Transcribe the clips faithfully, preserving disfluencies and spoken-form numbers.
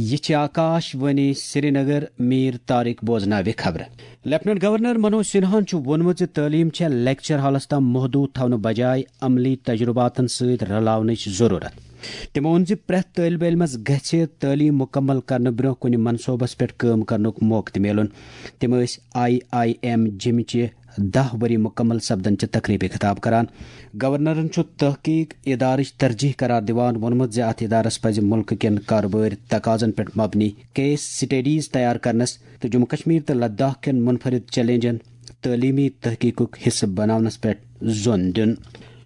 یہِ چھِ آکاش وانی سرینگر، میٖر طارق بوزناوِ خبرٕ۔ لیفٹیننٹ گورنر منوج سنہاہن چھُ ووٚنمُت زِ تعلیٖم چھےٚ لیکچر ہالس تام محدوٗد تھاونہٕ بجایہِ عملی تجرباتن سۭتۍ رلاونٕچ ضروٗرت۔ تٔمۍ ووٚن زِ پرٛٮ۪تھ طٲلبہِ علمس گژھِ تعلیٖم مُکمل کرنہٕ برٛونٛہہ کُنہِ منصوبس پٮ۪ٹھ کٲم کرنُک موقعہٕ تہِ میلُن۔ تِم ٲسۍ آئی آئی ایم جیٚمہِ چہِ دَہ ؤری مُکمل سپدن چہِ تقریبہِ خطاب کران۔ گورنرن چھُ تحقیق ادارٕچ ترجیح قرار دِوان ووٚنمُت زِ اتھ ادارس پزِ مُلکہٕ کٮ۪ن کارٕبٲرۍ تقاضن پٮ۪ٹھ مبنی کیس سٹڈیز تیار کرنس تہٕ جموں کشمیر تہٕ لداخ کٮ۪ن منفرد چیلنجن تعلیمی تحقیقُک حصہٕ بناونس پٮ۪ٹھ زون دیُن۔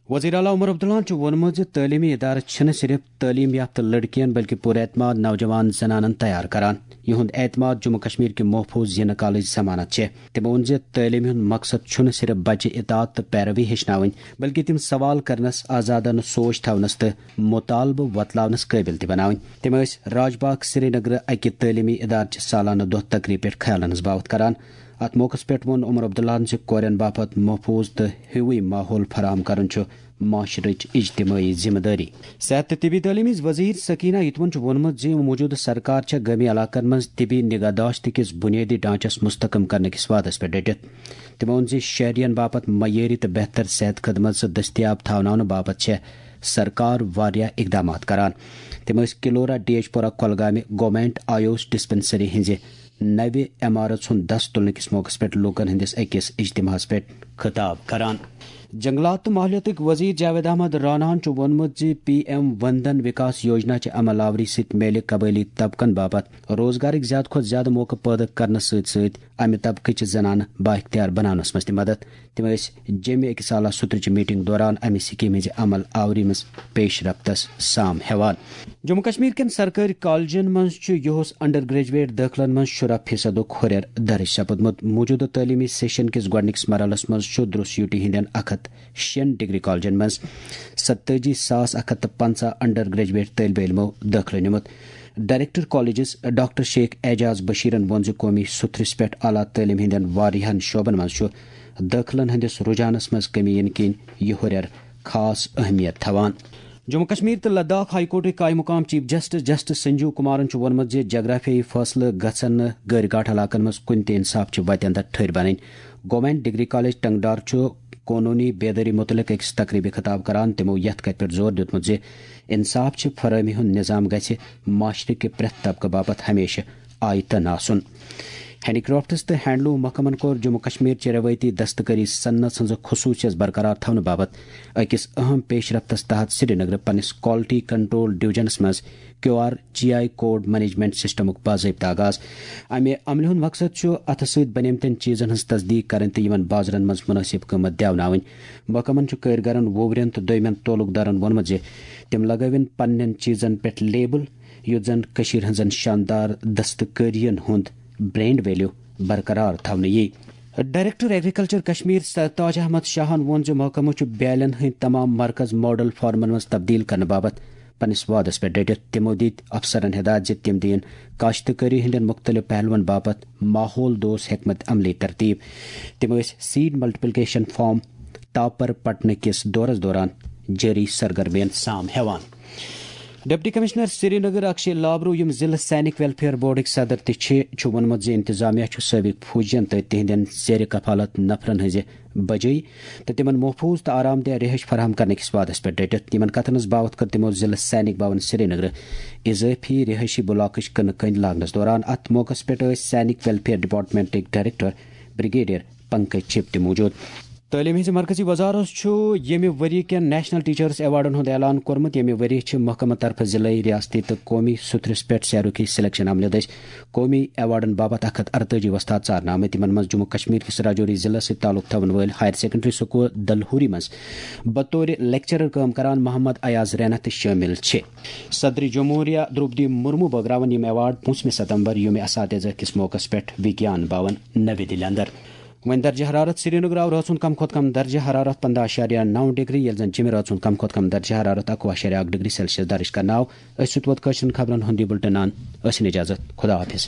وزیر اعلیٰ عمر عبداللہن چھُ ووٚنمُت زِ تعلیمی ادارٕ چھِنہٕ صرف تعلیم یافتہٕ لڑکین بلکہ پُر اعتماد نوجوان زنانن تیار کران۔ یِہُنٛد اعتماد جموں کشمیر کہِ محفوظ زینہٕ کالٕچ ضمانت چھےٚ۔ تٔمۍ ووٚن زِ تعلیمہِ ہُنٛد مقصد چھُنہٕ صرف بچہِ اطاعت تہٕ پیروی ہیٚچھناوٕنۍ، بلکہِ تِم سوال کرنس، آزادانہٕ سوچ تھاونس تہٕ مطالبہٕ وۄتلاونس قٲبل تہِ بناوٕنۍ۔ تِم ٲسۍ راج باغ سرینگرٕ اکہِ تعلیمی ادارٕ چہِ سالانہٕ دۄہ تقریبہِ پٮ۪ٹھ خیالن ہٕنٛز باوتھ کران۔ اتھ موقعس پٮ۪ٹھ ووٚن عمر عبداللہن زِ کورٮ۪ن باپتھ محفوظ تہٕ ہیوٗوٕے ماحول فراہم کرُن چھُ معاشرٕچ اجتمٲعی ذمہٕ دٲری۔ صحت تہٕ طبی تعلیٖم ہٕنٛز وزیر سکینہ یتوَن چھُ ووٚنمُت زِ موجودٕ سرکار چھےٚ گٲمی علاقن منٛز طبی نگہداشت کِس بنیٲدی ڈھانچس مستحکم کرنہٕ کِس وعدس پٮ۪ٹھ ڈٔٹِتھ۔ تٔمۍ ووٚن زِ شہرین باپتھ معیٲری تہٕ بہتر صحت خدمت دٔستیاب تھاوناونہٕ باپتھ چھےٚ سرکار واریاہ اقدامات کران۔ تِم ٲسۍ کلورہ، ڈی ایچ پورہ، کۄلگامہِ گورنمنٹ آیوش ڈسپنسری ہٕنٛزِ نوِ عمارژ ہُنٛد دس تُلنہٕ کِس موقعس پٮ۪ٹھ لوٗکن ہٕنٛدِس أکِس اجتماعس پٮ۪ٹھ خطاب کران۔ جنگلات تہٕ ماحولیاتٕکۍ وزیر جاوید احمد راناہن چھُ ووٚنمُت زِ پی ایم وندن وکاس یوجنا چہِ عمل آوری سۭتۍ میلہِ قبٲیلی طبقن باپتھ روزگارٕکۍ زیادٕ کھۄتہٕ زیادٕ موقعہٕ پٲدٕ کرنس سۭتۍ سۭتۍ امہِ طبقٕچہِ زنانہٕ بااختیار بناونس منٛز تہِ مدد۔ تِم ٲسۍ جیٚمہِ أکِس اعلیٰ سطرٕچہِ میٹنگ دوران امہِ سکیمہِ ہٕنٛزِ عمل آوری منٛز پیش رفتس سام ہٮ۪وان۔ جموں کشمیر کٮ۪ن سرکٲرۍ کالجن منٛز چھُ یُہُس انڈر گریجویٹ دٲخلن منٛز شُراہ فیصدُک ہُرٮ۪ر درج سپُدمُت۔ موجودٕ تعلیمی سیشن کِس گۄڈٕنِکِس مرحلس منٛز چھُ دروس یوٗٹی ہٕنٛدٮ۪ن اکھ ہتھ شیٚن ڈگری کالجن منٛز ستٲجی ساس اکھ ہتھ تہٕ پنٛژاہ انڈر گریجویٹ طٲلبہِ علمو دٲخلہٕ نیومُت۔ Director colleges doctor Sheikh Ajaz بشیرن ووٚن زِ قومی سُتھرِس پٮ۪ٹھ اعلیٰ تعلیٖم ہٕنٛدٮ۪ن واریاہن شعبن منٛز چھُ دٲخلن ہٕنٛدِس رجحانس منٛز کمی یِنہٕ کِنۍ یہِ ہُرٮ۪ر خاص اہمیت تھاوان۔ جموں کشمیر تہٕ لداخ ہائی کورٹٕکۍ قائم مقام chief justice justice Sanjeev Kumaran چھُ ووٚنمُت زِ جغرافیائی فٲصلہٕ گژھن نہٕ غٲر گاٹھ علاقن منٛز کُنہِ تہِ انصاف چہِ وتہِ اندر ٹھٔہرۍ بنٕنۍ۔ گورنمنٹ ڈگری کالج ٹنگڈار چھُ قونوٗنی بیدٲری مُتعلق أکِس تقریبہِ خطاب کران۔ تِمو یتھ کتھِ پٮ۪ٹھ زور دیُتمُت زِ انصاف چہِ فراہمی ہُنٛد نظام گژھِ معاشرٕ کہِ پرٛٮ۪تھ طبقہٕ باپتھ ہمیشہٕ آیتن آسُن۔ ہینڈی کرافٹس تہٕ ہینڈلوم محکمن کوٚر جموں کشمیر چہِ روایتی دستکٲری صنعت ہٕنٛز خصوٗصیت برقرار تھاونہٕ باپتھ أکِس اہم پیش رفتس تحت سرینگرٕ پننِس کوالٹی کنٹرول ڈویژنس منٛز Q R G I code management سسٹمُک باضٲبطہٕ آغاز۔ امہِ عملہِ ہُنٛد مقصد چھُ اتھٕ سۭتۍ بنیمتٮ۪ن چیٖزن ہٕنٛز تصدیق کرٕنۍ تہٕ یِمن بازرن منٛز مناسب قۭمتھ دیوناوٕنۍ۔ محکمن چھُ کٲرگرن، وُورٮ۪ن تہٕ دوٚیمٮ۪ن تعلقدارن ووٚنمُت زِ تِم لگٲوِن پننٮ۪ن چیٖزن پٮ۪ٹھ لیبل، یُتھ زن کٔشیٖرِ ہٕنٛزن شاندار دستکٲرین ہُنٛد برانڈ ویلیو برقرار تھاونہٕ یِیہِ۔ ڈائریکٹر ایگریکلچر کشمیر سرتاج احمد شاہن ووٚن زِ محکمہٕ چھُ بیالٮ۪ن ہٕنٛدۍ تمام مرکز ماڈل فارمن منٛز تبدیل کرنہٕ باپتھ پننِس وعدس پٮ۪ٹھ ڈٔٹِتھ۔ تِمو دِتۍ افسرن ہدایت زِ تِم دِیِن کاشتکٲری ہٕنٛدٮ۪ن مُختٔلِف پہلوَن باپتھ ماحول دوست حکمت عملی ترتیب۔ تِم ٲسۍ سیڈ ملٹیپلیکیشن فارم تاپر پٹنہٕ کِس دورس دوران جٲری سرگرمین سام ہٮ۪وان۔ ڈپٹی کمشنر سرینگر اکشے لابرو، یِم ضلع سینک ویلفیئر بورڈٕکۍ صدر تہِ چھِ، چھُ ووٚنمُت زِ انتظامیہ چھُ سٲبق فوجین تہٕ تِہنٛدٮ۪ن زیر کفالت نفرن ہٕنٛزِ بجٲیی تہٕ تِمن محفوظ تہٕ آرام دہ رہٲیش فراہم کرنہٕ کِس وعدس پٮ۪ٹھ ڈٔٹِتھ۔ یِمن کتھن ہٕنٛز باوتھ کٔر تِمو ضلع سینک بھون سرینگرٕ اضٲفی رہٲیشی بلاکٕچ کٕنہٕ کٔنۍ لاگنس دوران۔ اتھ موقعس پٮ۪ٹھ ٲسۍ سینک ویلفیئر ڈپارٹمنٹٕکۍ ڈائریکٹر بریگیڈیئر پنکج چپ تہِ موجود۔ تعلیٖم ہٕنٛزِ مرکزی وزارت چھُ ییٚمہِ ؤری کٮ۪ن نیشنل ٹیچرس ایوارڈن ہُنٛد اعلان کوٚرمُت۔ ییٚمہِ ؤری چھِ محکمہٕ طرفہٕ ضلعی، ریاستی تہٕ قومی سطرس پٮ۪ٹھ سیرُکی سلیکشن عملہِ دٔسۍ قومی ایوارڈن باپتھ اکھ ہتھ ارتٲجی وۄستاد ژارنہٕ آمٕتۍ۔ تِمن منٛز جموں کشمیر کِس راجوری ضلعس سۭتۍ تعلق تھاون وٲلۍ ہائر سیکنڈری سکول دلہوری منٛز بطور لیکچرر کٲم کران محمد ایاز رینا تہِ شٲمِل چھِ۔ صدر جمہوریہ درٛوپدی مرمو بٲگراون یِم ایوارڈ پوٗنٛژمہِ ستمبر یوم اساتذہ کِس موقعس پٮ۪ٹھ وگیان بھون نٔوِ دِلہِ اندر۔ وۄنۍ درجہ حرارت۔ سرینگرٕ آو رٲژ ہُنٛد کم کھۄتہٕ کم درجہ حرارت پنداہ اعشاریہ نو ڈگری، ییٚلہِ زن جیٚمہِ رٲژ ہُنٛد کم کھۄتہٕ کم درجہ حرارت اکوُہ اعشاریہ اکھ ڈگری سیلسیس درج کرنہٕ آو۔ أسۍ سۭتۍ ووت کٲشرٮ۪ن خبرن ہُنٛد یہِ بُلٹن۔ ٲسِن اجازت۔ خدا حافظ۔